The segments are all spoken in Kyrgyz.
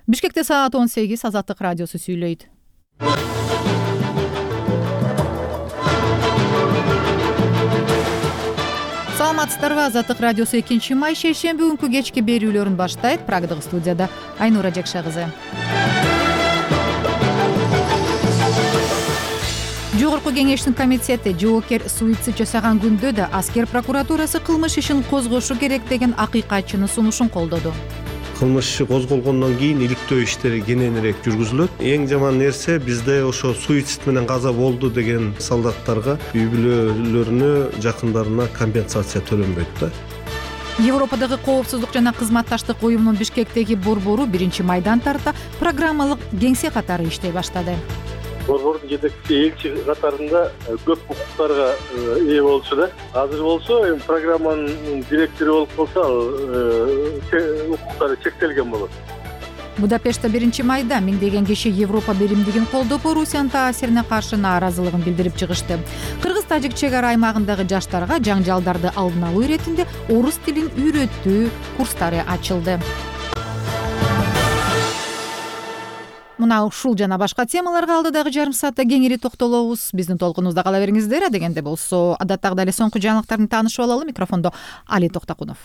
Бишкекте саат 18, Азаттык радиосу сүйлөйт. Саламатсыздарбы? Азаттык радиосу 2 май шейшемби күнкү кечки берүүлөрүн баштайт. Прагдагы студияда Айнура Жекша кызы. Жогорку кеңештин комитети жоокер суицид жасаган күндө да аскер прокуратурасы кылмыш ишин козгошу керек деген акыйкатчынын сунушун колдоду. Кылмыш иши козголгондон кийин иликтөө иштери кененирээк жүргүзүлөт. Эң жаман нерсе бизде ошо суицид менен каза болду деген солдаттарга үй бүлөлөрүнө, жакындарына компенсация төлөнбөйт да. Европадагы коопсуздук жана кызматташтык уюмунун Бишкектеги борбору 1-майдан тарта программалык кеңсе катары иштей баштады. Борбордун жетекчиси элчи катарында көп укуктарга ээ болчу да. Азыр болсо программанын директору болуп калса, укуктары чектелген болот. Будапештте 1-майда миңдеген киши Европа биримдигин колдоп, Орусиянын таасирине каршы нааразылыгын билдирип чыгышты. Кыргыз-тажик чек ара аймагындагы жаштарга жаңжалдарды алдын алуу иретинде орус тилин үйрөтүү курстары ачылды. Мына ушул жана башка темаларга алдыдагы жарым саатта кеңири токтолобуз. Биздин толкунубузда кала бериңиздер. Адегенде болсо адаттагыдай эле соңку жаңылыктарды таанышып алалы. Микрофондо Али Токтакунов.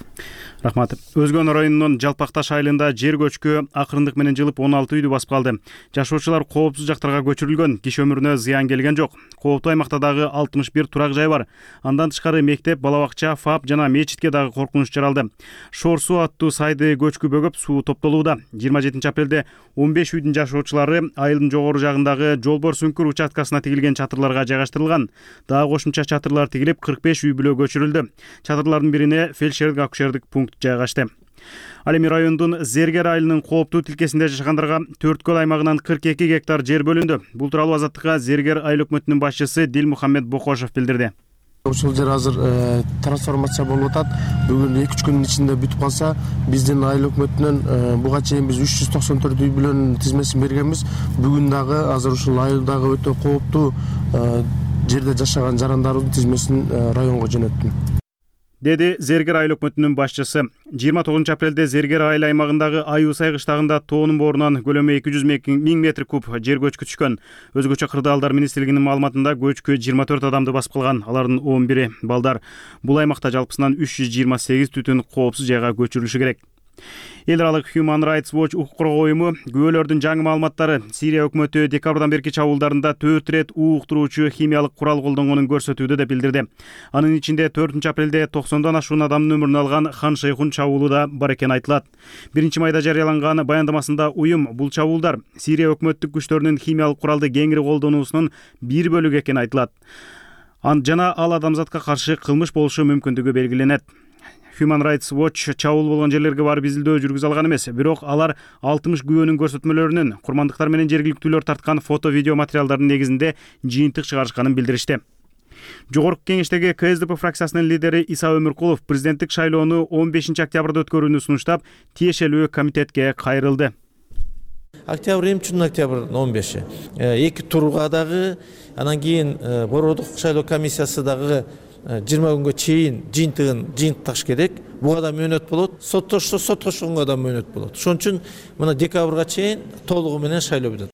Рахмат. Өзгөн районунун Жалпакташ айылында жер көчкү акырындык менен жылып 16 үйдү басып калды. Жашоочулар коопсуз жактарга көчүрүлгөн, киши өмүрүнө зыян келген жок. Кооптуу аймакта дагы 61 турак жай бар. Андан тышкары мектеп, бала бакча, ФАП жана мечитке дагы коркунуч жаралды. Шор суу аттуу сайды көчкү бөгөп суу топтолууда. 27 апрелде 15 үйдүн жашоочулары айылдын жогору жагындагы Жолбор Сүңкүр участкасына тигилген чатырларга жайгаштырылган. Дагы кошумча чатырлар тигилип 45 үй бүлө көчүрүлдү. Чатырлардын бирине фельдшердик акушердик пункт жайгашты. Ал эми райондун Зергер айылынын кооптуу тилкесинде жашагандарга 4 аймагынан 42 гектар жер бөлүндү. Бул тууралуу Азаттыкка Зергер айыл өкмөтүнүн башчысы Дилмухаммед Бокошев билдирди. Ушул жер азыр трансформация болуп атат. Бүгүн 2-3 күнүн ичинде бүтүп калса, биздин айыл өкмөтүнөн буга чейин биз 394 үй бүлөнүн тизмесин бергенбиз. Бүгүн дагы азыр ушул айылдагы өтө кооптуу жерде жашаган жарандардын тизмесин районго жөнөттүм, деди Зергер айыл өкмөтүнүн башчысы. 29 апрелде Зергер айыл аймагындагы Айуусай кыштагында тоонун боорунан көлөмү 200 миң метр куб жер көчкү түшкөн. Өзгөчө Кырдаалдар министрлигинин маалыматында көчкү 24 адамды басып калган, алардын 11-и балдар. Бул аймакта жалпысынан 328 түтүн коопсуз жайга көчүрүлүшү керек. Эл аралык Human Rights Watch укук коргоо уюму күбөлөрдүн жаңы маалыматтары Сирия өкмөтү декабрдан берки чабуулдарында 4 рет ууктуруучу химиялык курал колдонгонун көрсөтүүдө деп билдирди. Анын ичинде 4 апрелде 90дан ашуун адамдын өмүрүн алган Хан Шейхун чабуулу да бар экени айтылат. 1-майда жарыяланган баяндамасында уюм бул чабуулдар Сирия өкмөттүк күчтөрүнүн химиялык куралды кеңири колдонуусунун бир бөлүгү экени айтылат. Жана ал адамзатка каршы кылмыш болушу мүмкүндүгү белгиленет. Human Rights Watch чабуул болгон жерлерге барып изилдөө жүргүзө алган эмес, бирок алар 60 күбөнүн көрсөтмөлөрүнүн курмандыктар менен жергиликтүүлөр тарткан фото-видео материалдардын негизинде жыйынтык чыгарышканын билдиришти. Жогорку кеңештеги КСДП фракциясынын лидери Иса Өмүркулов президенттик шайлоону 15 октябрда өткөрүүнү сунуштап, тиешелүү комитетке кайрылды. Октябрь эмчүн октябрь 15. Эки турга дагы, анан кийин борбордук шайлоо комиссиясы дагы 20 күнгө чейин жыйынтыкташ керек. Буга да мөөнөт болот. Соттошконго да мөөнөт болот. Ошон үчүн мына декабрга чейин толугу менен шайлоо бүтөт,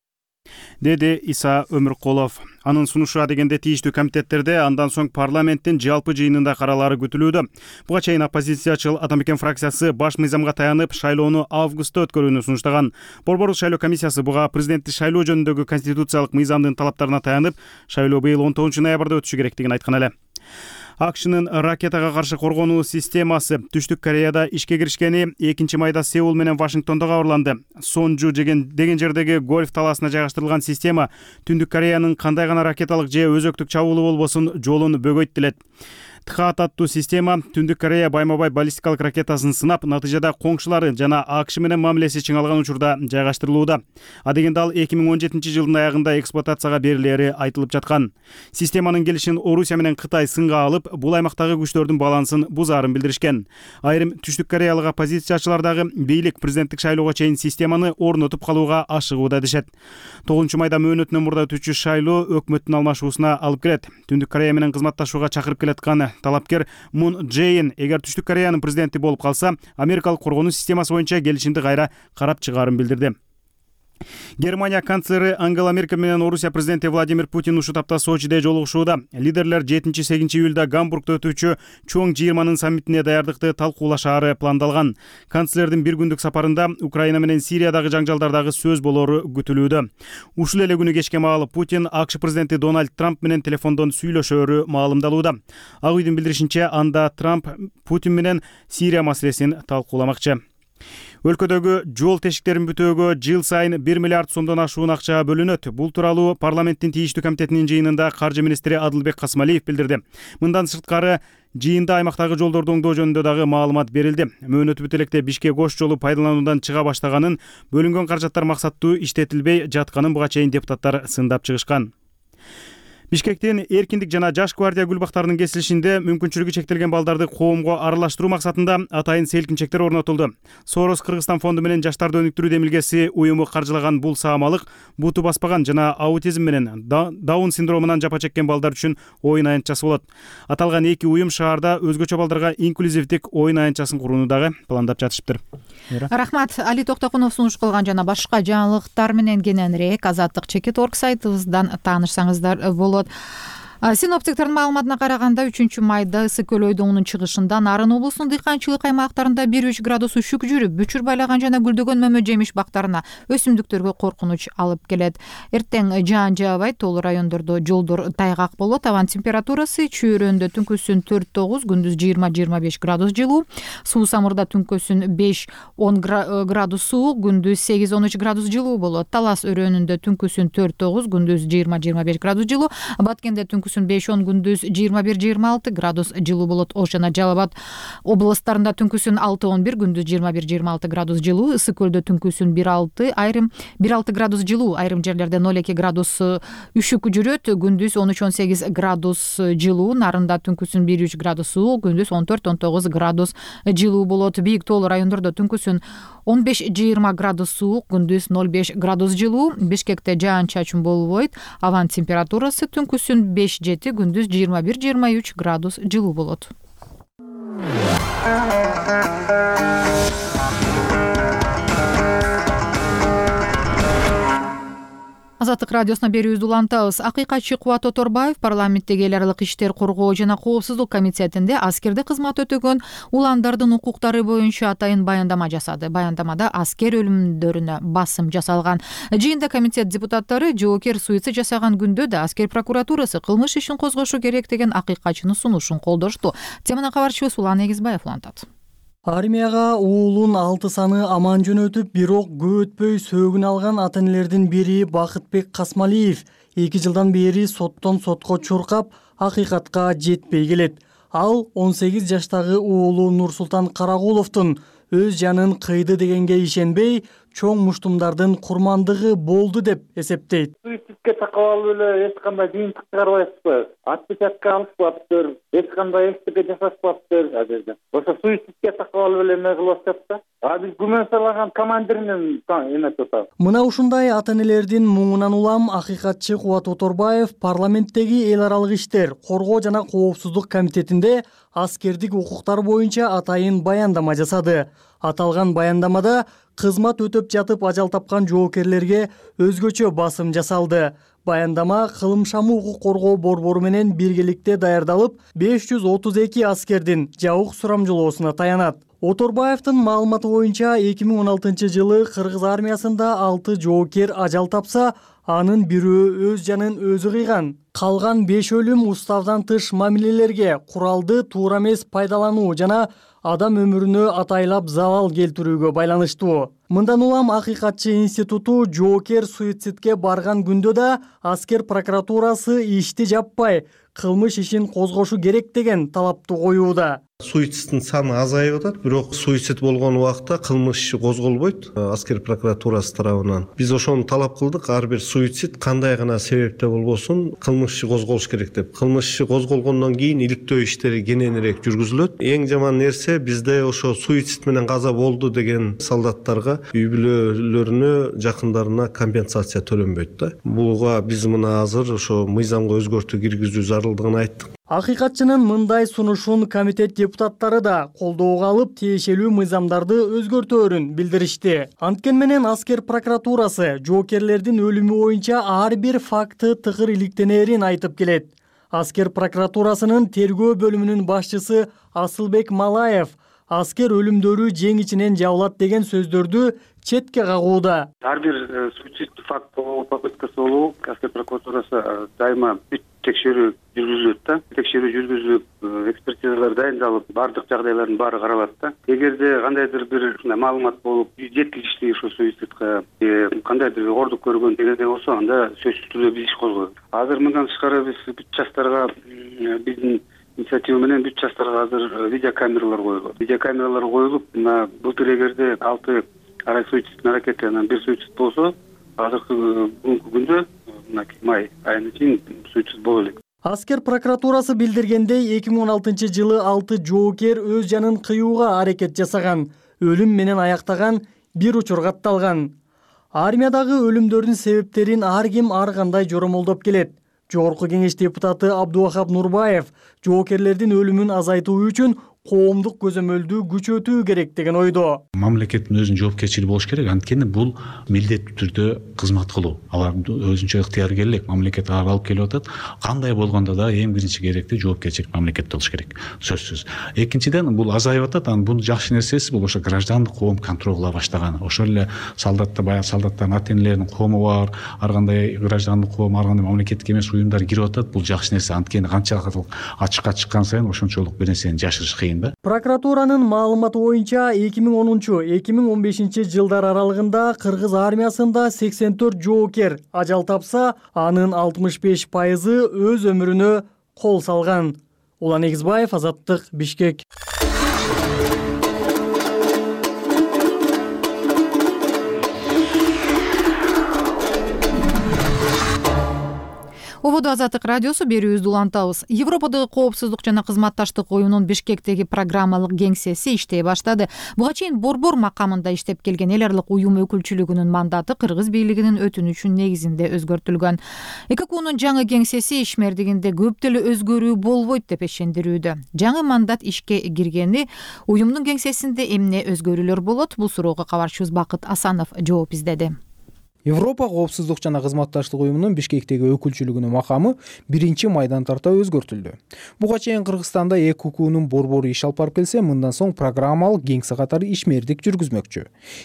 деди Иса Өмүркулов. Анын сунушу адегенде тийиштүү комитеттерде андан соң парламенттин жалпы жыйынында каралары күтүлүүдө. Буга чейин оппозициячыл Атамекен фракциясы баш мыйзамга таянып шайлоону августта өткөрүүнү сунуштаган. Борбордук шайлоо комиссиясы буга президенттик шайлоо жөнүндөгү конституциялык мыйзамдын талаптарына таянып, шайлоо быйыл 19 ноябрда өтүшү керектигин айткан эле. АКШнын ракетага каршы коргонуу системасы Түштүк Кореяда ишке киришкени 2-майда Сеул менен Вашингтондо кабарланды. Сонжу деген жердеги гольф талаасына жайгаштырылган система Түндүк Кореянын кандай гана ракеталык же өзөктүк чабуулу болбосун жолун бөгөйт делет. ТХАТ аттуу система Түндүк Корея байма-бай баллистикалык ракетасын сынап, натыйжада коңшулары жана АКШ менен мамилеси чыңалган учурда жайгаштырылууда. Адегенде ал 2017 жылдын аягында эксплуатацияга берилери айтылып жаткан. Системанын келишин Орусия менен Кытай сынга алып, бул аймактагы күчтөрдүн балансын бузаарын билдиришкен. Айрым Түштүк Кореялык оппозициячылар дагы бийлик президенттик шайлоого чейин системаны орнотуп калууга ашыгууда дешет. 9-майда мөөнөтүнөн мурда өтүүчү шайлоо өкмөттүн алмашуусуна алып келет. Түндүк Корея менен кызматташууга чакырып келаткан талапкер Мун Джейн эгер Түштүк Кореянын президенти болуп калса, америкалык коргонуу системасы боюнча келишимди кайра карап чыгаарын билдирди. Германия канцлери Ангела Меркель менен Орусия президенти Владимир Путин ушул тапта Сочиде жолугушууда. Лидерлер 7-8 июлда Гамбургда өтүүчү чоң жыйырманын саммитине даярдыкты талкуулашаары пландалган. Канцлердин бир күндүк сапарында Украина менен Сириядагы жаңжалдардагы сөз болору күтүлүүдө. Ушул эле күнү кечке маал Путин АКШ президенти Дональд Трамп менен телефондон сүйлөшөөрү маалымдалууда. Ак үйдүн билдиришинче, анда Трамп Путин менен Сирия маселесин талкууламакчы. Өлкөдөгү жол тешиктерин бүтөөгө жыл сайын 1 миллиард сомдон ашуун акча бөлүнөт. Бул тууралуу парламенттин тийиштүү комитетинин жыйынында каржы министри Адылбек Касмалиев билдирди. Мындан сырткары жыйында аймактагы жолдорду оңдоо жөнүндө дагы маалымат берилди. Мөөнөтү бүт электе Бишкек-Ош жолу пайдалануудан чыга баштаганын, бөлүнгөн каражаттар максаттуу иштетилбей жатканын буга чейин депутаттар сындап чыгышкан. Бишкектин эркиндик жана жаш гвардия гүлбактарынын кесилишинде мүмкүнчүлүгү чектелген балдарды коомго аралаштыруу максатында атайын селкинчектер орнотулду. Сорос Кыргызстан фонду менен жаштарды өнүктүрүү демилгеси уюму каржылаган бул саамалык буту баспаган жана аутизм менен Даун синдромунан жапа чеккен балдар үчүн оюн аянтчасы болот. Аталган эки уюм шаарда өзгөчө балдарга инклюзивдик оюн аянтчасын курууну дагы пландап жатышыптыр. Рахмат. Али Токтокунов сунуш кылган жана башка жаңылыктар менен кененирээк Азаттык.org сайтыбыздан таанышсаңыздар болот. Синоптиктердин маалыматына караганда 3-майда ысык көл ойдоңунун чыгышында Нарын облусунун дыйканчылык аймактарында 1-3 градус үшүк жүрүп, бүчүр байлаган жана гүлдөгөн мөмө жемиш бактарына өсүмдүктөргө коркунуч алып келет. Эртең жаан жаабайт, тоолуу райондордо жолдор тайгак болот. Абан температурасы чөйрөндө түнкүсүн 4-9, күндүз 20-25 градус жылуу. Суу-Самырда түнкүсүн 5-10 градус суук, күндүз 8-13 градус жылуу болот. Талас өрөөнүндө түнкүсүн 4-9, күндүз 20-25 градус жылуу. Баткенде түнкүсүн 5-10, күндүз 21-26 градус жылуу болот. Ош жана Жалал Абад областарында түнкүсүн 6-11, күндүз 21-26 градус жылуу. Ысык көлдө түнкүсүн 1-6 градус жылуу, айрым жерлерде 0-2 градус үшүк жүрөт, күндүз 13-18 градус жылуу. Нарында түнкүсүн 1-3 градус суук, күндүз 14-19 градус жылуу болот. Бийик тоолуу райондордо түнкүсүн 15-20 градус суук, күндүз 0-5 градус жылуу. Бишкекте жаан-чачын болбойт. Абан температурасы түнкүсүн 5-7, күндүз 21-23 градус жылуу болот. Азаттык радиосуна берүүбүздү улантабыз. Акыйкатчы Кубат Оторбаев парламенттеги эл аралык иштер коргоо жана коопсуздук комитетинде аскерде кызмат өтөгөн уландардын укуктары боюнча атайын баяндама жасады. Баяндамада аскер өлүмдөрүнө басым жасалган. Жыйында комитет депутаттары жоокер суицид жасаган күндө да аскер прокуратурасы кылмыш ишин козгошу керек деген акыйкатчынын сунушун колдошту. Теманы кабарчыбыз Улан Эгизбаев улантат. Армияга уулун 6 саны аман жөнөтүп, бирок көп өтпөй сөөгүн алган ата-энелердин бири Бакытбек Касмалиев 2 жылдан бери соттон сотко чуркап, акыйкатка жетпей келет. Ал 18 жаштагы уулу Нурсултан Карагуловдун өз жанын кыйды дегенге ишенбей, чоң муштумдардын курмандыгы болду деп эсептейт. Суицидке такап алып эле эч кандай жыйынтык чыгарбайсызбы? Отпечатка алышпаптыр, эч кандай эстеке жасашпаптыр азырда. Ошо суицидке такап алып эле эме кылып атышат да. Биз күмөн салган командиринин эмеси атат. Мына ушундай ата-энелердин муңунан улам акыйкатчы Кубат Оторбаев парламенттеги эл аралык иштер, коргоо жана коопсуздук комитетинде аскердик укуктар боюнча атайын баяндама жасады. Аталган баяндамада кызмат өтөп жатып ажал тапкан жоокерлерге өзгөчө басым жасалды. Баяндама кылымшамы укук коргоо борбору менен биргеликте даярдалып, 532 аскердин жабык сурамжылоосуна таянат. Оторбаевдин маалыматы боюнча 2016 жылы Кыргыз армиясында 6 жоокер ажал тапса, анын бирөө өз жанын өзү кыйган. Калган 5 өлүм уставдан тыш мамилелерге, куралды туура эмес пайдалануу жана адам өмүрүнө атайлап залал келтирүүгө байланыштуу. Мындан улам акыйкатчы институту жоокер суицидке барган күндө да аскер прокуратурасы ишти жаппай, кылмыш ишин козгошу керек деген талапты коюуда. Суицидтин саны азайып атат, бирок суицид болгон убакта кылмыш иши козголбойт аскер прокуратурасы тарабынан. Биз ошону талап кылдык, ар бир суицид кандай гана себепте болбосун кылмыш иши козголуш керек деп. Кылмыш иши козголгондон кийин иликтөө иштери кененирээк жүргүзүлөт. Эң жаман нерсе бизде ошо суицид менен каза болду деген солдаттарга үй бүлөлөрүнө, жакындарына компенсация төлөнбөйт да. Буга биз мына азыр ошо мыйзамга өзгөртүү киргизүү зарылдыгын айттык. Акыйкатчынын мындай сунушун комитет депутаттары да колдоого алып, тиешелүү мыйзамдарды өзгөртөөрүн билдиришти. Анткени менен аскер прокуратурасы жоокерлердин өлүмү боюнча ар бир факты тыгыр иликтенерин айтып келет. Аскер прокуратурасынын тергөө бөлүмүнүн башчысы Асылбек Малаев аскер өлүмдөрү жең ичинен жабылат деген сөздөрдү четке кагууда. Ар бир суицид факт болобу, попыткасы болобу, аскер прокуратурасы дайыма бүт текшерүү жүргүзүлөт да. Текшерүү жүргүзүлүп, экспертизалар дайындалып, бардык жагдайлардын баары каралат да. Эгерде кандайдыр бир маалымат болуп, жеткиликтүү ошо суицидка кандайдыр оордук көргөн дегенде болсо, анда сөзсүз түрдө биз иш козгоебуз. Азыр мындан тышкары биз бүт жаштарга биздин инициатива менен бүт жаштарга азыр видеокамералар коюлат. Видеокамералар коюлуп, мына былтыр эгерде 6 арай суицидтин аракети, анан 1 суицид болсо, азыркы бүгүнкү күндө мына май айына чейин суицид боло элек. Аскер прокуратурасы билдиргендей, 2016 жылы 6 жоокер өз жанын кыюуга аракет жасаган, өлүм менен аяктаган бир учур катталган. Армиядагы өлүмдөрдүн себептерин ар ким ар кандай жоромолдоп келет. Жогорку кеңеш депутаты Абдувахап Нурбаев жоокерлердин өлүмүн азайтуу үчүн коомдук көзөмөлдү күчөтүү керек деген ойдо. Мамлекеттин өзүнүн жоопкерчилиги болуш керек. Анткени бул милдеттүү түрдө кызмат кылуу. Алар өзүнчө ыктыяркерлик мамлекет алып келип атат. Кандай болгондо да эң биринчи керекти жоопкерчилик мамлекетте болуш керек. Сөзсүз. Экинчиден бул азайып атат. Анан бул жакшы нерсеси бул ошо граждандык коом контроль кыла баштаган. Ошол эле баягы солдаттардын ата-энелеринин коому бар, ар кандай граждандык коом, ар кандай мамлекеттик эмес уюмдар кирип атат. Бул жакшы нерсе. Анткени канчалык ачыкка чыккан сайын ошончолук бир нерсени жашырыш кыйын. Прокуратуранын маалыматы боюнча 2010-2015 жылдар аралыгында кыргыз армиясында 84 жоокер ажал тапса, анын 65% өз өмүрүнө кол салган. Улан Эгизбаев, Азаттык, Бишкек. Ободо Азаттык радиосу берүүбүздү улантабыз. Европадагы коопсуздук жана кызматташтык уюмунун Бишкектеги программалык кеңсеси иштей баштады. Буга чейин борбор макамында иштеп келген эл аралык уюм өкүлчүлүгүнүн мандаты кыргыз бийлигинин өтүнүчү негизинде өзгөртүлгөн. ЭККУнун жаңы кеңсеси ишмердигинде көп деле өзгөрүү болбойт деп ишендирүүдө. Жаңы мандат ишке киргени уюмдун кеңсесинде эмне өзгөрүүлөр болот? Бул суроого кабарчыбыз Бакыт Асанов жооп издеди. Европа коопсуздук жана кызматташтык уюмунун Бишкектеги өкүлчүлүгүнүн макамы 1-майдан тарта өзгөртүлдү. Буга чейин Кыргызстанда ЭККУнун борбору иш алып барып келсе, мындан соң программалык кеңсе катары ишмердик жүргүзмөкчү.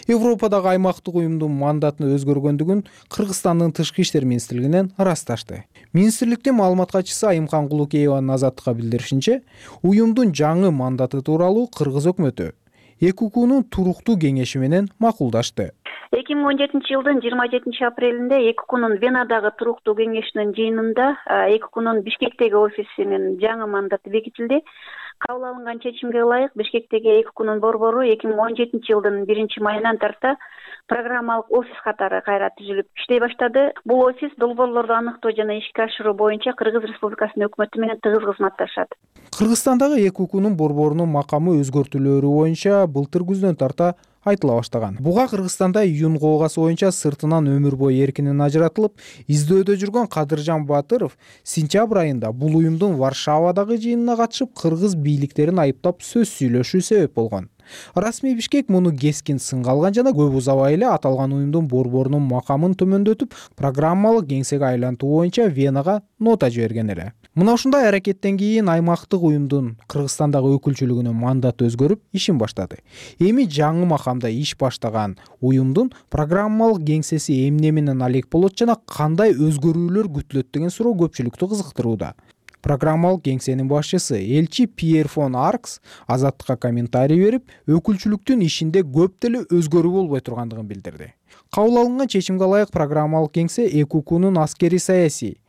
Европадагы аймактык уюмдун мандатыны өзгөргөндүгүн Кыргызстандын тышкы иштер министрлигинен ырасташты. Министрликтин маалымат катчысы Айымкан Кулукееванын Азаттыкка билдиришинче, уюмдун жаңы мандаты тууралуу Кыргыз өкмөтү ЭККУнун туруктуу кеңеши менен макулдашты. 2017 жылдын 27 апрелинде ЭККУнун Венадагы туруктуу кеңешинин жыйынында ЭККУнун Бишкектеги офисинин жаңы мандаты бекитилди. Кабыл алынган чечимге ылайык Бишкектеги ЭККУнун борбору 2017 жылдын 1-майынан тарта программалык офис катары кайра түзүлүп иштей баштады. Бул офис долбоорлорду аныктоо жана ишке ашыруу боюнча Кыргыз Республикасынын өкмөтү менен тыгыз кызматташат. Кыргызстандагы ЭККУнун борборунун макамы өзгөртүүлөрү боюнча былтыр күздөн тарта айтыла баштаган. Буга Кыргызстанда июнь коогасы боюнча сыртынан өмүр бою эркинен ажыратылып, издөөдө жүргөн Кадыржан Батыров сентябрь айында бул уюмдун Варшавадагы жыйынына катышып, кыргыз бийликтерин айыптап сөз сүйлөшүү себеп болгон. Расмий Бишкек муну кескин сынга алган жана көп узабай эле аталган уюмдун борборунун макамын төмөндөтүп, программалык кеңсеге айлантуу боюнча Венага нота жиберген эле. Мына ушундай аракеттен кийин аймактык уюмдун Кыргызстандагы өкүлчүлүгүнүн мандаты өзгөрүп, ишин баштады. Эми жаңы макамда иш баштаган уюмдун программалык кеңсеси эмне менен алек болот жана кандай өзгөрүүлөр күтүлөт деген суроо көпчүлүктү кызыктырууда. Программалык кеңсенин башчысы элчи Пьер фон Аркс Азаттыкка комментарий берип, өкүлчүлүктүн ишинде көп деле өзгөрүү болбой тургандыгын билдирди. Кабыл алынган чечимге ылайык программалык кеңсе ЭККУнун аскери саясий,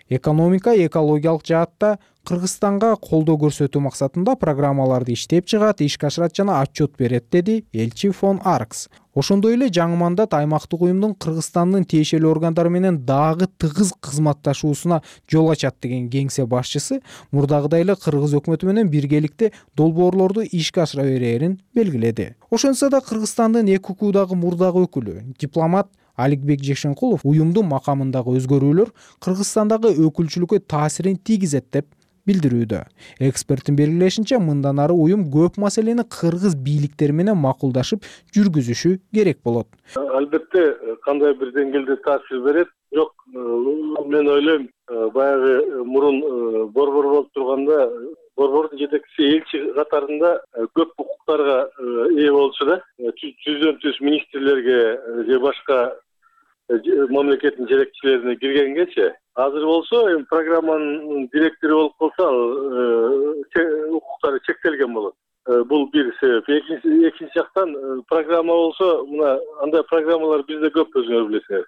экономика, экологиялык жаатта Кыргызстанга колдоо көрсөтүү максатында программаларды иштеп чыгат, ишке ашырат жана отчет берет, деди элчи фон Аркс. Ошондой эле жаңы мандат аймактык уюмдун Кыргызстандын тиешелүү органдары менен дагы тыгыз кызматташуусуна жол ачат деген кеңсе башчысы мурдагыдай эле кыргыз өкмөтү менен биргеликте долбоорлорду ишке ашыра берерин белгиледи. Ошентсе да Кыргызстандын ЭККУдагы мурдагы өкүлү, дипломат Аликбек Жекшенкулов уюмдун макамындагы өзгөрүүлөр Кыргызстандагы өкүлчүлүккө таасирин тийгизет деп билдирүүдө. Эксперттин белгилешинче, мындан ары уюм көп маселени кыргыз бийликтери менен макулдашып жүргүзүшү керек болот. Албетте кандай бир деңгээлде таасир берет. Жок, мен ойлойм, баягы мурун борбор болуп турганда борбордун жетекчиси элчи катарында көп укуктарга ээ болчу да. Түздөн түз министрлерге же башка мамлекеттин жетекчилерине киргенгечи. Азыр болсо эми программанын директору болуп калса, укуктары чектелген болот. Бул бир себеп. Экинчи жактан программа болсо, мына андай программалар бизде көп, өзүңөр билесиңер.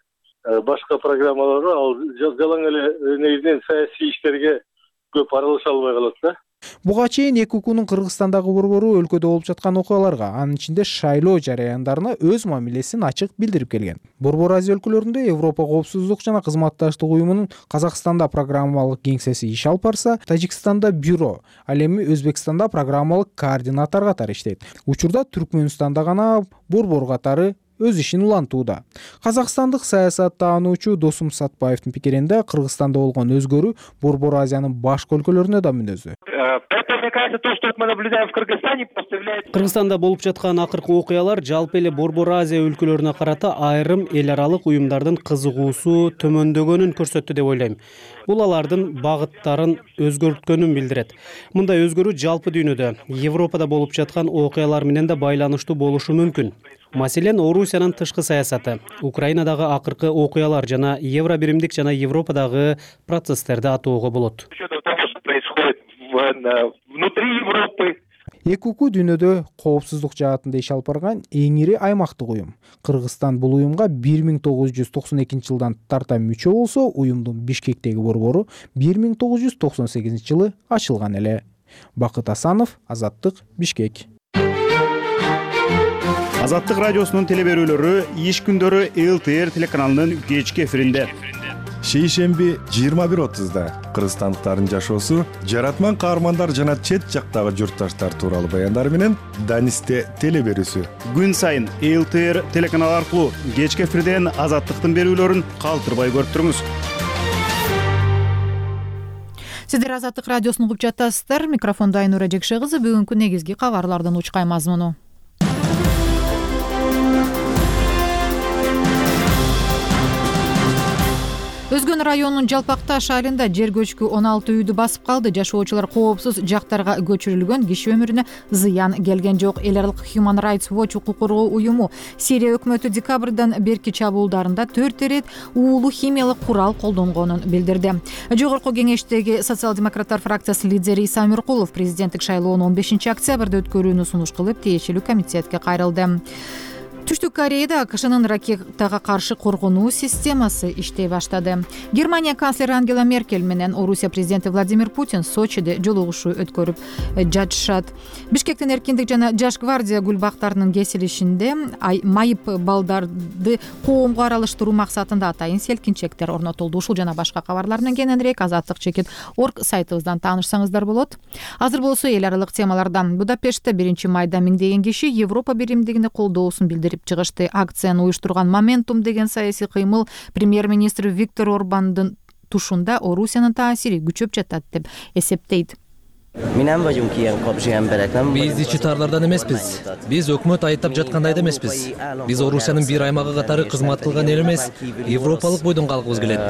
Башка программаларга ал жалаң эле негизинен саясий иштерге көп аралаша албай калат да. Буга чейин ЭКУКнун Кыргызстандагы борбору өлкөдө болуп жаткан окуяларга, анын ичинде шайлоо жараяндарына өз мамилесин ачык билдирип келген. Борбор Азия өлкөлөрүндө Европа коопсуздук жана кызматташтык уюмунун Казакстанда программалык кеңсеси иш алып барса, Тажикстанда бюро, ал эми Өзбекстанда программалык координатор катары иштейт. Учурда Түркмөнстанда гана борбор катары өз ишин улантууда. Казакстандык саясаттануучу Досум Сатпаевдин пикиринде, Кыргызстанда болгон өзгөрүү Борбор Азиянын башка өлкөлөрүнө да мүнөздүү. Кыргызстанда болуп жаткан акыркы окуялар жалпы эле Борбор Азия өлкөлөрүнө карата айрым эл аралык уюмдардын кызыгуусу төмөндөгөнүн көрсөттү деп ойлойм. Бул алардын багыттарын өзгөрткөнүн билдирет. Мындай өзгөрүү жалпы дүйнөдө, Европада болуп жаткан окуялар менен да байланыштуу болушу мүмкүн. Маселен, Орусиянын тышкы саясаты, Украинадагы акыркы окуялар жана Евробиримдик жана Европадагы процесстерди атоого болот. ЭКУК дүйнөдө коопсуздук жаатында иш алып барган эң ири аймактык уюм. Кыргызстан бул уюмга 1992 жылдан тарта мүчө болсо, уюмдун Бишкектеги борбору 1998 жылы ачылган эле. Бакыт Асанов, Азаттык, Бишкек. Азаттык радиосунун телеберүүлөрү иш күндөрү ЛТР телеканалынын кечки эфиринде. Шейшемби 21:30-да кыргызстандыктардын жашоосу, жаратман каармандар жана чет жактагы журтташтар тууралуу баяндар менен Данисте телеберүүсү. Күн сайын ЛТР телеканалы аркылуу кечки эфирден Азаттыктын берүүлөрүн калтырбай көрүп туруңуз. Сиздер Азаттык радиосун угуп жатасыздар. Микрофондо Айнура Жекше кызы. Бүгүнкү негизги кабарлардын учкай мазмуну. Өзгөн районунун Жалпакташ айылында жер көчкү 16 үйдү басып калды. Жашоочулар коопсуз жактарга көчүрүлгөн, киши өмүрүнө зыян келген жок. Эл аралык Human Rights Watch укук коргоо уюму Сирия өкмөтү декабрдан берки чабуулдарында 4 ирет уулуу химиялык курал колдонгонун билдирди. Жогорку кеңештеги социал-демократтар фракциясы лидери Иса Өмүркулов президенттик шайлоону 15 октябрда өткөрүүнү сунуш кылып, тиешелүү комитетке кайрылды. Түштүк Кореяда АКШнын ракетага каршы коргонуу системасы иштей баштады. Германия канцлери Ангела Меркель менен Орусия президенти Владимир Путин Сочиде жолугушуу өткөрүп жатышат. Бишкектин Эркиндик жана Жаш гвардия гүл бактарынын кесилишинде майып балдарды коомго аралаштыруу максатында атайын селкинчектер орнотулду. Ушул жана башка кабарлар менен кененирээк azatlyk.org сайтыбыздан таанышсаңыздар болот. Азыр болсо эл аралык темалардан. Будапештте 1 майда миңдеген киши Европа биримдигине колдоосун билдирип чыгышты. Акцияны уюштурган Моментум деген саясий кыймыл премьер-министр Виктор Орбандын тушунда Орусиянын таасири күчөп жатат деп эсептейт. Биз ичитарлардан эмеспиз. Биз өкмөт айыптап жаткандай да эмеспиз. Биз Орусиянын бир аймагы катары кызмат кылган эл эмес, европалык бойдон калгыбыз келет.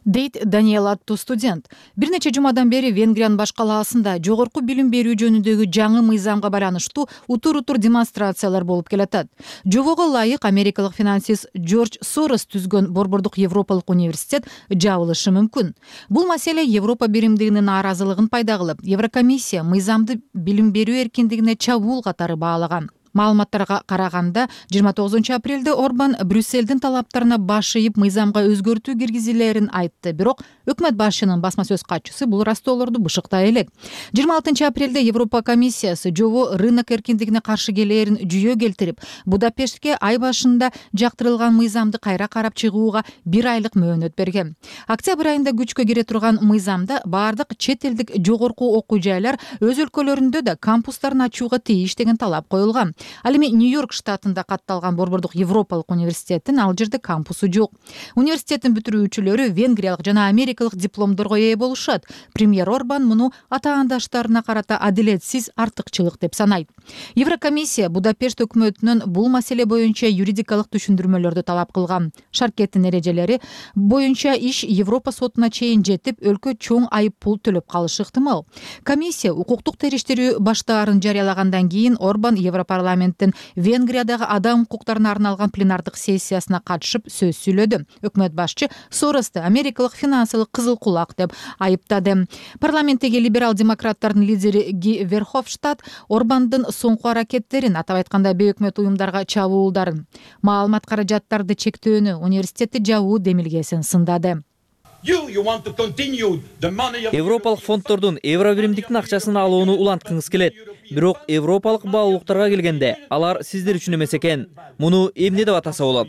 Дейт Даниэл аттуу студент. Бир нече жумадан бери Венгриянын баш калаасында жогорку билим берүү жөнүндөгү жаңы мыйзамга байланыштуу утур-утур демонстрациялар болуп келатат. Жобого ылайык америкалык финансист Джордж Сорос түзгөн Борбордук Европалык университет жабылышы мүмкүн. Бул маселе Европа биримдигинин нааразылыгын пайда кылып, Еврокомиссия мыйзамды билим берүү эркиндигине чабуул катары баалаган. Маалыматтарга караганда 29 апрелде Орбан Брюсселдин талаптарына баш ийип мыйзамга өзгөртүү киргизилерин айтты. Бирок өкмөт башчынын басма сөз катчысы бул растоолорду бышыктай элек. 26 апрелде Европа комиссиясы жобо рынок эркиндигине каршы келээрин жүйө келтирип, Будапештке ай башында жактырылган мыйзамды кайра карап чыгууга 1 айлык мөөнөт берген. Октябрь айында күчкө кире турган мыйзамда бардык чет элдик жогорку окуу жайлар өз өлкөлөрүндө да кампустарын ачууга тийиш деген талап коюлган. Ал эми Нью-Йорк штатында катталган Борбордук Европалык университеттин ал жерде кампусу жок. Университеттин бүтүрүүчүлөрү венгриялык жана америкалык дипломдорго ээ болушат. Премьер Орбан муну атаандаштарына карата адилетсиз артыкчылык деп санайт. Еврокомиссия Будапешт өкмөтүнөн бул маселе боюнча юридикалык түшүндүрмөлөрдү талап кылган. Шаркеттин эрежелери боюнча иш Европа сотуна чейин жетип, өлкө чоң айып пул төлөп калышы ыктымал. Комиссия укуктук териштирүү баштаарын жарыялагандан кийин Орбан Европарламенттин Венгриядагы адам укуктарына арналган пленардык сессиясына катышып сөз сүйлөдү. Өкмөт башчы Соросту америкалык финансылык кызыл кулак деп айыптады. Парламенттеги либерал-демократтардын лидери Ги Верховштадт Орбандын соңку аракеттерин, атап айтканда бейөкмөт уюмдарга чабуулдарын, маалымат каражаттарды чектөөнү, университетти жабуу демилгесин сындады. Европалык фонддордун евробиримдиктин акчасын алууну уланткыңыз келет. Бирок европалык баалуулуктарга келгенде алар сиздер үчүн эмес экен. Муну эмне деп атаса болот?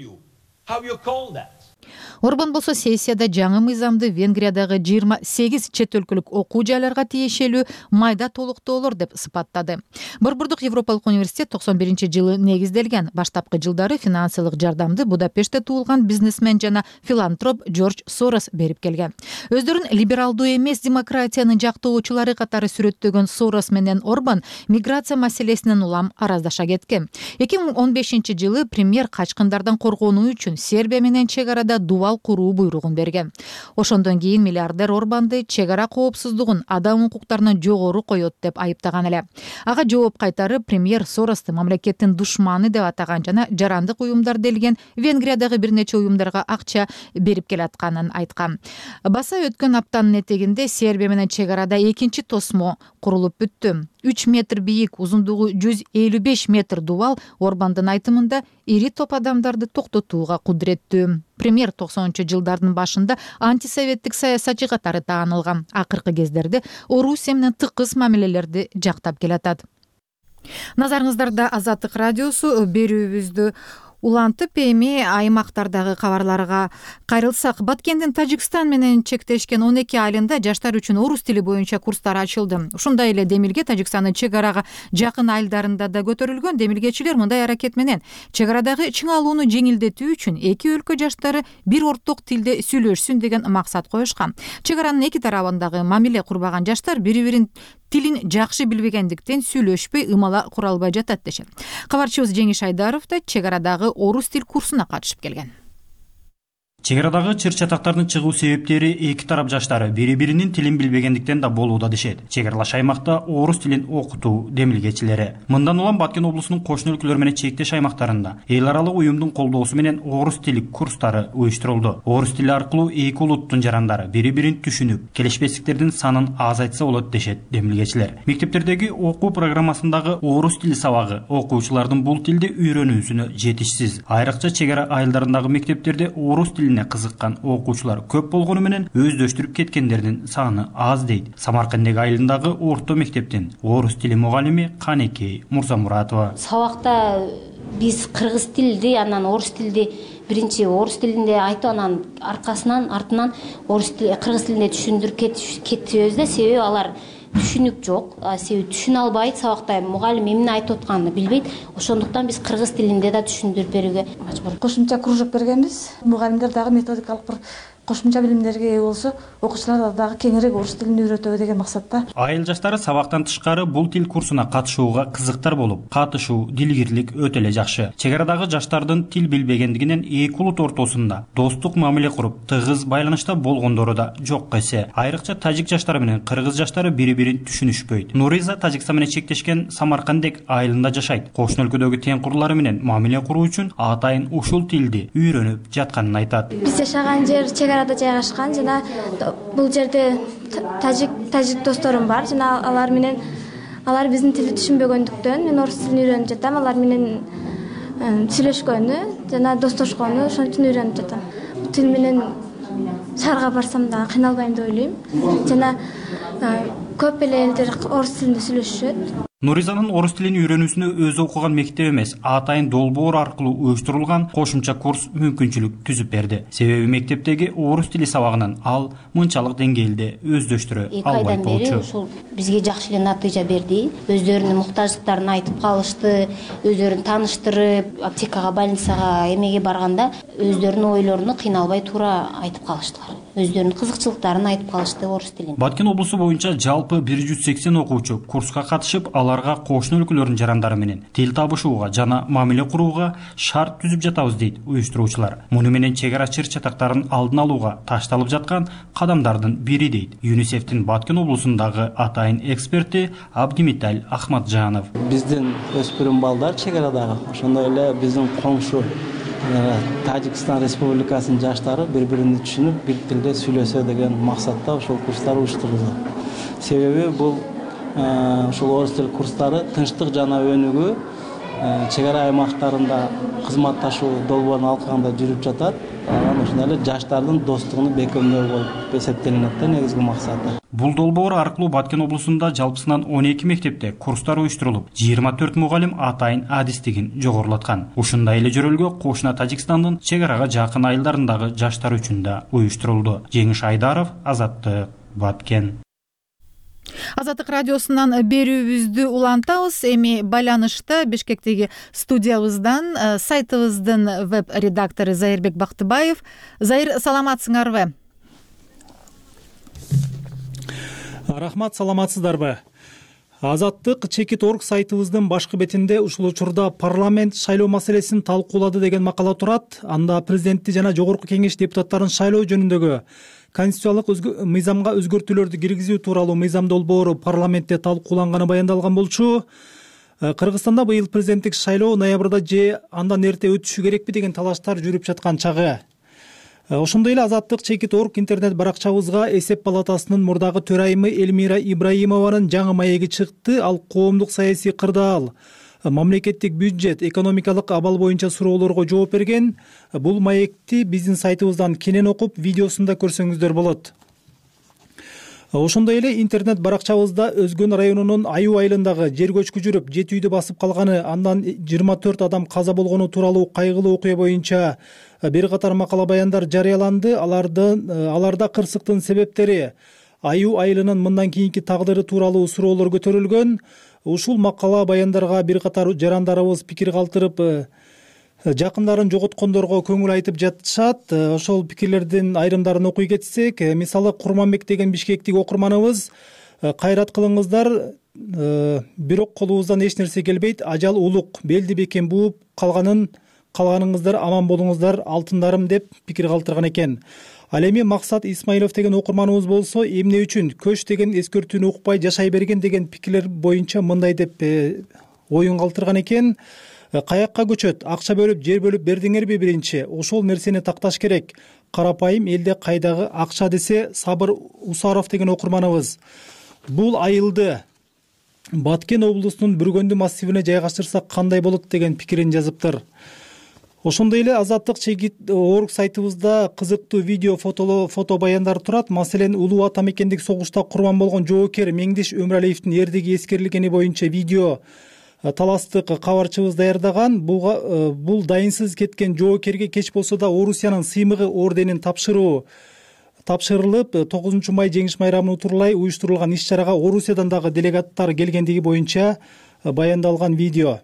Орбан болсо сессияда жаңы мыйзамды Венгриядагы 28 чет өлкөлүк окуу жайларга тиешелүү майда толуктоолор деп сыпаттады. Борбордук Европалык университет 91-жылы негизделген. Баштапкы жылдары финансылык жардамды Будапештте туулган бизнесмен жана филантроп Джордж Сорос берип келген. Өздөрүн либералдуу эмес демократиянын жактоочулары катары сүрөттөгөн Сорос менен Орбан миграция маселесинен улам араздаша кеткен. 2015-жылы премьер качкындардан коргонуу үчүн Сербия менен чек арада дубал куруу буйругун берген. Ошондон кийин миллиардер Орбанды чек ара коопсуздугун, адам укуктарынан жогору коет деп айыптаган эле. Ага жооп кайтарып, премьер Соросту мамлекеттин душманы деп атаган жана жарандык уюмдар делген Венгриядагы бир нече уюмдарга акча берип келатканын айткан. Баса өткөн аптанын этегинде Сербия менен чек арада экинчи тосмо курулуп бүттү. 3 метр бийик, узундугу 155 метр дубал Орбандын айтымында ири топ адамдарды токтотууга кудуреттүү. Премьер 90-жылдардын башында антисоветтик саясатчы катары таанылган. Акыркы кездерде Орусия менен тыкыз мамилелерди жактап келатат. Назарыңыздарда Азаттык радиосу. Берүүбүздү улантып эми аймактардагы кабарларга кайрылсак, Баткендин Тажикстан менен чектешкен 12 айылында жаштар үчүн орус тили боюнча курстар ачылды. Ушундай эле демилге Тажикстандын чек арага жакын айылдарында да көтөрүлгөн. Демилгечилер мындай аракет менен чек арадагы чыңалууну жеңилдетүү үчүн эки өлкө жаштары бир орток тилде сүйлөшсүн деген максат коюшкан. Чек аранын эки тарабындагы мамиле курбаган жаштар бири-бирин тилин жакшы билбегендиктен сүйлөшпөй, ымала кура албай жатат дешет. Кабарчыбыз Жеңиш Айдаров да чек арадагы орус тил курсуна катышып келген. Чек арадагы чыр-чатактардын чыгуу себептери эки тарап жаштары бири-биринин тилин билбегендиктен да болууда дешет. Чек аралаш аймакта орус тилин окутуу демилгечилери. Мындан улам Баткен облусунун кошуна өлкөлөр менен чектеш аймактарында эл аралык уюмдун колдоосу менен орус тили курстары уюштурулду. Орус тили аркылуу эки улуттун жарандары бири-бирин түшүнүп, келишпестиктердин санын азайтса болот дешет демилгечилер. Мектептердеги окуу программасындагы орус тили сабагы окуучулардын бул тилди үйрөнүүсүнө жетишсиз. Айрыкча чек ара айылдарындагы мектептерде орус тилине кызыккан окуучулар көп болгону менен өздөштүрүп кеткендердин саны аз дейт. Самаркандеги айылындагы орто мектептин орус тили мугалими Канекей Мурзамуратова. Сабакта биз кыргыз тилди, анан орус тилди биринчи орус тилинде айтып, анан артынан орус тили, кыргыз тилинде түшүндүрүп кетебиз да, себеби алар түшүнүк жок, себеби түшүнө албайт, сабакта мугалим эмне айтып атканын билбейт. Ошондуктан биз кыргыз тилинде да түшүндүрүп берүүгө мажбур. Кошумча кружок бергенбиз. Мугалимдер дагы методикалык бир кошумча билимдерге ээ болсо, окуучулар дагы кеңирээк орус тилин үйрөтөбү деген максатта. Айыл жаштары сабактан тышкары бул тил курсуна катышууга кызыктар болуп, катышуу, дилгирлик өтө эле жакшы. Чек арадагы жаштардын тил билбегендигинен эки улут ортосунда достук мамиле куруп, тыгыз байланышта болгондору да жок эсе. Айрыкча тажик жаштары менен кыргыз жаштары бири-бирин түшүнүшпөйт. Нуриза Тажикстан менен чектешкен Самаркандек айылында жашайт. Кошуна өлкөдөгү тең курлары менен мамиле куруу үчүн атайын ушул тилди үйрөнүп жатканын айтат. Биз жашаган жер чек арада жайгашкан жана бул жерде тажик досторум бар жана алар биздин тилди түшүнбөгөндүктөн мен орус тилин үйрөнүп жатам. Алар менен сүйлөшкөнү жана достошкону ошон үчүн үйрөнүп жатам. Бул тил менен шаарга барсам да кыйналбайм деп ойлойм. Жана көп эле элдер орус тилинде сүйлөшүшөт. Нуризанын орус тилин үйрөнүүсүнө өзү окуган мектеп эмес, атайын долбоор аркылуу уюштурулган кошумча курс мүмкүнчүлүк түзүп берди. Себеби мектептеги орус тили сабагынан ал мынчалык деңгээлде өздөштүрө албайт болчу. Ушул бизге жакшы эле натыйжа берди. Өздөрүнүн муктаждыктарын айтып калышты, өздөрүн тааныштырып, аптекага, больницага эмеге барганда өздөрүнүн ойлоруну кыйналбай туура айтып калыштылар. Өздөрүнүн кызыкчылыктарын айтып калышты орус тилин. Баткен облусу боюнча жалпы 180 окуучу курска катышып, аларга кошуна өлкөлөрдүн жарандары менен тил табышууга жана мамиле курууга шарт түзүп жатабыз дейт уюштуруучулар. Муну менен чек ара чыр чатактарын алдын алууга ташталып жаткан кадамдардын бири дейт ЮНИСЕФтин Баткен облусундагы атайын эксперти Абдимиталь Ахматжанов. Биздин өспүрүм балдар чек арадагы, ошондой эле биздин коңшу Тажикстан Республикасынын жаштары бири-бирин түшүнүп, бир тилде сүйлөсө деген максатта ошол курстар уюштурулду. Себеби бул ушул орус тил курстары тынчтык жана өнүгүү чек ара аймактарында кызматташуу долбоорун алкагында жүрүп жатат. Ошондой эле жаштардын достугун бекемдөө болуп эсептелинет да негизги максаты. Бул долбоор аркылуу Баткен облусунда жалпысынан 12 мектепте курстар уюштурулуп, 24 мугалим атайын адистигин жогорулаткан. Ушундай эле жөрөлгө кошуна Тажикстандын чек арага жакын айылдарындагы жаштар үчүн да уюштурулду. Жеңиш Айдаров, Азаттык, Баткен. Азаттык радиосунан берүүбүздү улантабыз. Эми байланышта Бишкектеги студиябыздан сайтыбыздын веб-редактору Зайырбек Бактыбаев. Зайыр, саламатсыңарбы? Рахмат, саламатсыздарбы? Азаттык Чекит.org сайтыбыздын башкы бетинде ушул учурда парламент шайлоо маселесин талкуулады деген макала турат. Анда президентти жана жогорку кеңеш депутаттарын шайлоо жөнүндөгү конституциялык мыйзамга өзгөртүүлөрдү киргизүү тууралуу мыйзам долбоору парламентте талкууланганы баяндалган болчу. Кыргызстанда быйыл президенттик шайлоо ноябрда же андан эрте өтүшү керекпи деген талаштар жүрүп жаткан чагы. Ошондой эле Азаттык Чекит.org интернет баракчабызга эсеп палатасынын мурдагы төрайымы Эльмира Ибраимованын жаңы маеги чыкты. Ал коомдук саясий кырдаал, мамлекеттик бюджет, экономикалык абал боюнча суроолорго жооп берген. Бул маекти биздин сайтыбыздан кенен окуп, видеосунда көрсөңүздөр болот. Ошондой эле интернет баракчабызда Өзгөн районунун Аюу айылындагы жер көчкү жүрүп, 7 үйдү басып калганы, андан 24 адам каза болгону тууралуу кайгылуу окуя боюнча бир катар макала баяндар жарыяланды. Аларда кырсыктын себептери, Аюу айылынын мындан кийинки тагдыры тууралуу суроолор көтөрүлгөн. Ушул макала баяндарга бир катар жарандарыбыз пикир калтырып, жакындарын жоготкондорго көңүл айтып жатышат. Ошол пикирлердин айрымдарын окуй кетсек, мисалы Курманбек деген бишкектик окурманыбыз: кайрат кылыңыздар, бирок колубуздан эч нерсе келбейт, ажал улук, белди бекем бууп калганыңыздар аман болуңуздар алтындарым, деп пикир калтырган экен. Ал эми Максат Исмаилов деген окурманыбыз болсо, эмне үчүн көч деген эскертүүнү укпай жашай берген деген пикирлер боюнча мындай деп оюн калтырган экен. Каякка көчөт, акча бөлүп, жер бөлүп бердиңерби биринчи? Ошол нерсени такташ керек. Карапайым элде кайдагы акча, десе Сабыр Усаров деген окурманыбыз. Бул айылды Баткен облусунун Бүргөндү массивине жайгаштырсак кандай болот деген пикирин жазыптыр. Ошондой эле Азаттык Чекит.org сайтыбызда кызыктуу видео, фото баяндар турат. Маселен, улуу ата мекендик согушта курман болгон жоокер Меңдиш Өмүралиевдин эрдиги эскерилгени боюнча видео таластык кабарчыбыз даярдаган. Бул дайынсыз кеткен жоокерге кеч болсо да Орусиянын сыймыгы орденин тапшырылып, 9 май жеңиш майрамын утурлай уюштурулган иш-чарага Орусиядан дагы делегаттар келгендиги боюнча баяндалган видео.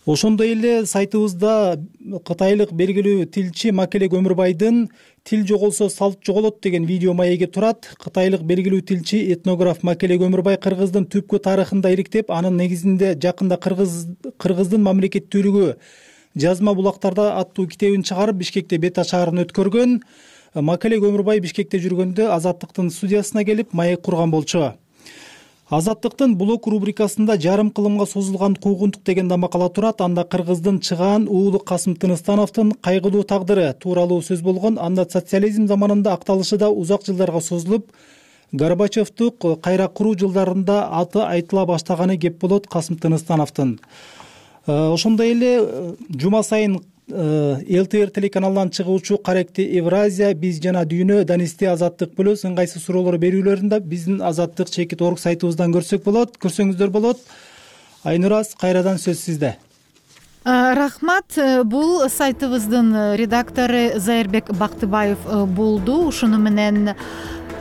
Ошондой эле сайтыбызда кытайлык белгилүү тилчи Макелек Өмүрбайдын «Тил жоголсо салт жоголот» деген видео маеги турат. Кытайлык белгилүү тилчи, этнограф Макелек Өмүрбай кыргыздын түпкү тарыхында иликтеп, анын негизинде жакында кыргыздын мамлекеттүүлүгү жазма булактарда аттуу китебин чыгарып, Бишкекте бет ачаарын өткөргөн. Макелек Өмүрбай Бишкекте жүргөндө Азаттыктын студиясына келип маек курган болчу. Азаттыктын блог рубрикасында жарым кылымга созулган куугунтук деген да макала турат. Анда кыргыздын чыгаан уулу Касым Тыныстановдун кайгылуу тагдыры тууралуу сөз болгон. Анда социализм заманында акталышы да узак жылдарга созулуп, Горбачевдук кайра куруу жылдарында аты айтыла баштаганы кеп болот Касым Тыныстановдун. Ошондой эле жума сайын ЛТР телеканалынан чыгуучу Каректи Евразия, Биз жана дүйнө, Данисте, Азаттык плюс ыңгайсыз суроолор берүүлөрүн да биздин Азаттык.org сайтыбыздан көрсөңүздөр болот. Айнураз, кайрадан сөз сизде. Рахмат. Бул сайтыбыздын редактору Зайырбек Бактыбаев болду. Ушуну менен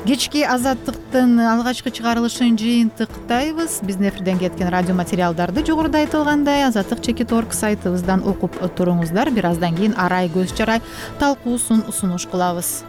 кечки Азаттыктын алгачкы чыгарылышын жыйынтыктайбыз. Биздин эфирден кеткен радио материалдарды жогоруда айтылгандай Азаттык.org сайтыбыздан окуп туруңуздар. Бир аздан кийин арай көз чарай талкуусун сунуш кылабыз.